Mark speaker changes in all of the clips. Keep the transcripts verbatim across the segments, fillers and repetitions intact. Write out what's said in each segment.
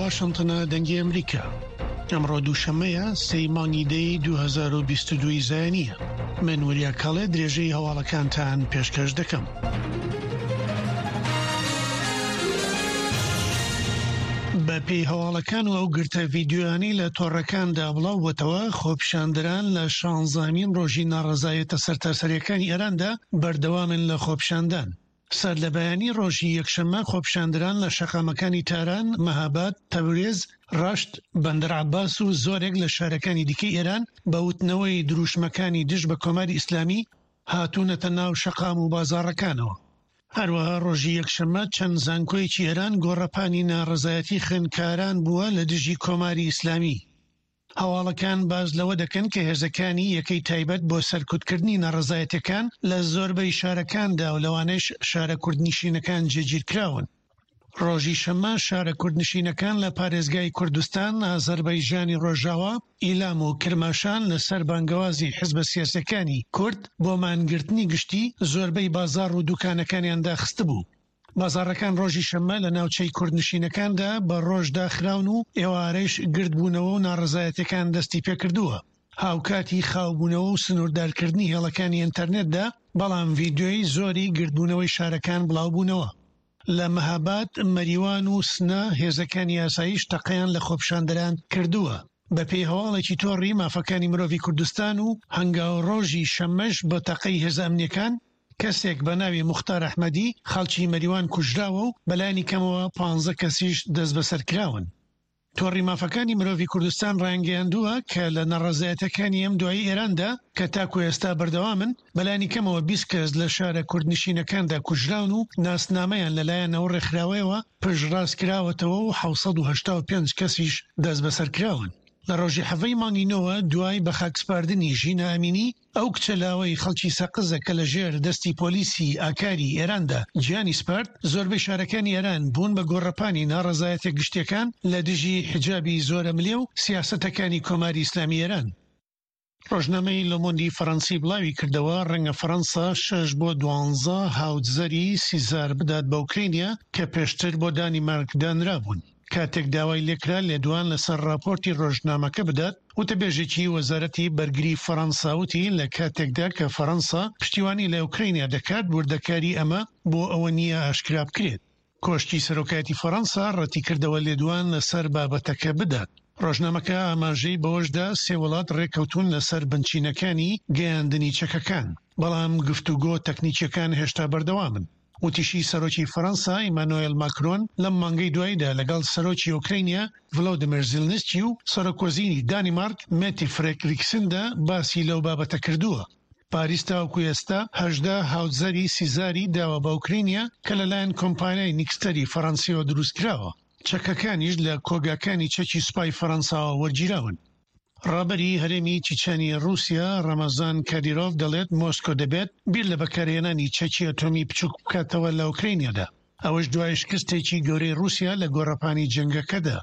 Speaker 1: واشنتنە دەنگی ئەمریکا. ئەمڕۆ دووشەممەیە سێی مانگی دەی دوو هەزار و بیست و دوو ی زایینیە. من وریا کاڵێ درێژەی هەواڵەکانتان پێشکەش دەکەم. بە پێی هەواڵەکان و ئەو گرتە ڤیدیۆیانەی لە تۆڕەکاندا بڵاو بۆتەوە، خۆپیشاندەران لە شانزەهەمین ڕۆژی ناڕەزایەتە سەرتاسەریەکانی ئێراندا بەردەوامن لە خۆپیشاندان. سەر لە بەیانی ڕۆژی یەکشەممە خۆپیشاندەران لە شەقامەکانی تاران، مەهاباد، تەورێز، ڕەشت، بەندەر عەباس و زۆرێک لە شارەکانی دیکەی ئێران بە وتنەوەی دروشمەکانی دژ بە کۆماری ئیسلامی هاتوونەتە ناو شەقام و بازاڕەکانەوە. هەروەها ڕۆژی یەکشەممە چەند زانکۆیەکی ئێران گۆڕەپانی ناڕەزایەتی خوێندکاران بووە لە دژی کۆماری ئیسلامی. هەواڵەکان باس لەوە دەکەن کە هێزەکانی یەکەی تایبەت بۆ سەرکوتکردنی ناڕەزایەتیەکان لە زۆربەی شارەکاندا و لەوانەش شارە کوردنشینەکان جێگیرکراون. ڕۆژی شەممە شارە کوردنشینەکان لە پارێزگای کوردستان، ئازەربایجانی ڕۆژاوا، ئیلام و کرماشان لەسەر بانگەوازی حزبە سیاسیەکانی کورد بۆ مانگرتنی گشتی زۆربەی بازاڕ و دوکانەکانیان داخستبوو. بازاڕەکان ڕۆژی شەممە لە ناوچەی کوردنشینەکاندا بە ڕۆژ داخراون و ئێوارەش گردبوونەوە و ناڕەزایەتیەکان دەستی پێکردووە. هاوکاتی خاوبوونەوە و سنووردارکردنی هێڵەکانی ئینتەرنێتدا، بەڵام ڤیدیۆی زۆری گردبوونەوەی شارەکان بڵاوبوونەوە. لە مەهاباد، مەریوان و سنە هێزەکانی ئاسایش تەقەیان لە خۆپیشاندەران کردووە. بەپێی هەواڵێکی تۆڕی مافەکانی مرۆڤی کوردستان و هەنگاو ڕۆژی شەممەش بە تەقەی هێزە ئەمنیەکان کەسێک بە ناوی موختار ئەحمەدی خەڵکی مەریوان کوژراوە و بەلایەنی کەمەوە پانزە کەسیش دەستبەسەرکراون. تۆڕی مافەکانی مرۆڤی کوردستان ڕایانگەیاندووە کە لە ناڕەزایەتیەکانی ئەم دوایی ئێراندا کە تاکو ئێستا بەردەوامن، بەلایەنی کەمەوە بیست کەس لە شارە کوردنشینەکاندا کوژراون و ناسنامەیان لەلایەن ئەو ڕێکخراوەیەوە پشتڕاستکراوەتەوە و حەوت سەد و هەشتا و پێنج کەسیش دەستبەسەرکراون. لە ڕۆژی حەڤەی مانگی نۆوە دوای بەخاکسپاردنی ژینا ئەمینی، ئەو کچە لاوەی خەڵکی سەقزە کە لەژێر دەستی پۆلیسی ئاکاری ئێراندا گیانی سپارد، زۆربەی شارەکانی ئێران بوون بە گۆڕەپانی ناڕەزایەتیە گشتیەکان لە دژی حیجابی زۆرەملێ و سیاسەتەکانی کۆماری ئیسلامی ئێران. ڕۆژنامەی لۆمۆندی فەرەنسی بڵاوی کردەوە، ڕەنگە فەرەنسا شەش بۆ دوانزە هاوتزەری سیزار بدات بە ئۆکرانیا کە پێشتر بۆ دانیمارک دانرابوون. کاتێک داوای لێکرا لێدوان لەسەر ڕاپۆرتی ڕۆژنامەکە بدات، وتەبێژێکی وەزارەتی بەرگری فەرەنسا وتی لە کاتێکدا کە فەرەنسا پشتیوانی لە ئۆکرانیا دەکات، وردەکاری ئەمە بۆ ئەوە نییە ئاشکرا بکرێت. کۆشکی سەرۆکایەتی فەرەنسا ڕەتیکردەوە لێدوان لەسەر بابەتەکە بدات. ڕۆژنامەکە ئاماژەی بەوەشدا سێ وڵات ڕێککەوتون لەسەر بنچینەکانی گەیاندنی چەکەکان، بەڵام گفتوگۆ تەکنیکیەکان هێشتا بەردەوامن. وتیشی سەرۆکی فەرەنسا ئیمانۆێل ماکرۆن لەم مانگەی دواییدا لەگەڵ سەرۆکی ئۆکرانیا ڤلۆدیمیر زیلنسکی و سەرۆک وەزیری دانیمارک مێتی فرێدریکسندا باسی لەو بابەتە کردووە. پاریس تاوەکو ئێستا هەژدە هاوتزەری سیزاری داوە بە ئۆکرانیا کە لەلایەن کۆمپانیای نیکستەری فەرەنسیەوە دروستکراوە. چەکەکانیش لە کۆگاکانی چەکی سوپای فەرەنساوە وەرگیراون. ڕابەری هەرێمی چیچانی ڕووسیا ڕەمەزان کادیرۆڤ دەڵێت مۆسکۆ دەبێت بیر لە بەکارهێنانی چەکی ئەتۆمی بچووک بکاتەوە لە ئۆکرانیادا، ئەوەش دوای شکستێکی گەورەی ڕووسیا لە گۆڕەپانی جەنگەکەدا.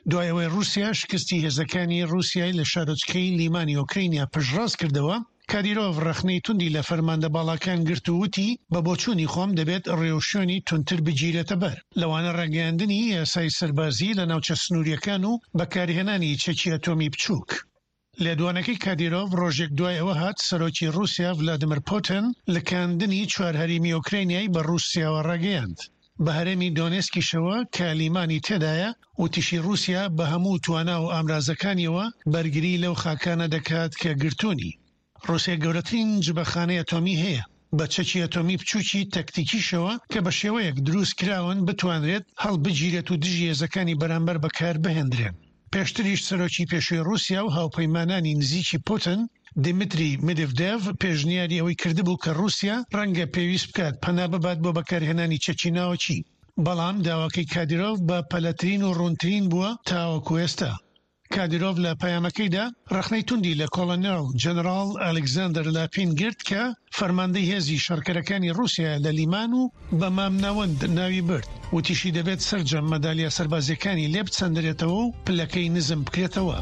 Speaker 1: دوای ئەوەی ڕووسیا شکستی هێزەکانی ڕووسیای لە شارۆچکەی لیمانی ئۆکرانیا پشتڕاست کردەوە، کادیرۆڤ ڕەخنەی توندی لە فەرماندە باڵاکان گرت و وتی بە بۆچوونی خۆم دەبێت ڕێوشوێنی توندتر بگیرێتە بەر، لەوانە ڕاگەیاندنی یاسای سەربازی لە ناوچە سنووریەکان و بەکارهێنانی چەکی ئەتۆمی بچووک. لێدوانەکەی کادیرۆڤ ڕۆژێک دوای ئەوە هات سەرۆکی ڕووسیا ڤلادیمیر پوتن لکاندنی چوار هەرێمی ئۆکرانیای بە ڕووسیاوە ڕاگەیاند، بە هەرێمی دۆنێسکیشەوە کە لیمانی تێدایە. وتیشی ڕووسیا بە هەموو توانا و ئامرازەکانیەوە بەرگری لەو خاکانە دەکات کە گرتوونی. ڕووسیا گەورەترین جبەخانەی ئەتۆمی هەیە بە چەکی ئەتۆمی بچووکی تەکتیکیشەوە کە بە شێوەیەک دروست کراون بتوانرێت هەڵبگیرێت و دژی هێزەکانی بەرامبەر بەکار بهێندرێن. پێشتریش سەرۆکی پێشووی ڕووسیا و هاوپەیمانانی نزیکی پوتن دیمیتری مێدڤدێڤ پێشنیاری ئەوەی کردبوو کە ڕووسیا ڕەنگە پێویست بکات پەنا ببات بۆ بەکارهێنانی چەکی ناوەکی، بەڵام داواکەی کادیرۆڤ بە پەلەترین و ڕوونترین بووە تاوەکو ئێستا. کادیرۆڤ لە پەیامەکەیدا ڕەخنەی توندی لە کۆڵۆنێڵ جەنەراڵ ئەلکساندەر لاپین گرت کە فەرماندەی هێزی شەڕکەرەکانی ڕووسیا لە لیمان و بە مامناوەند ناوی برد. وتیشی دەبێت سەرجەم مەدالیا سەربازیەکانی لێ بچەندرێتەوە و پلەکەی نزم بکرێتەوە.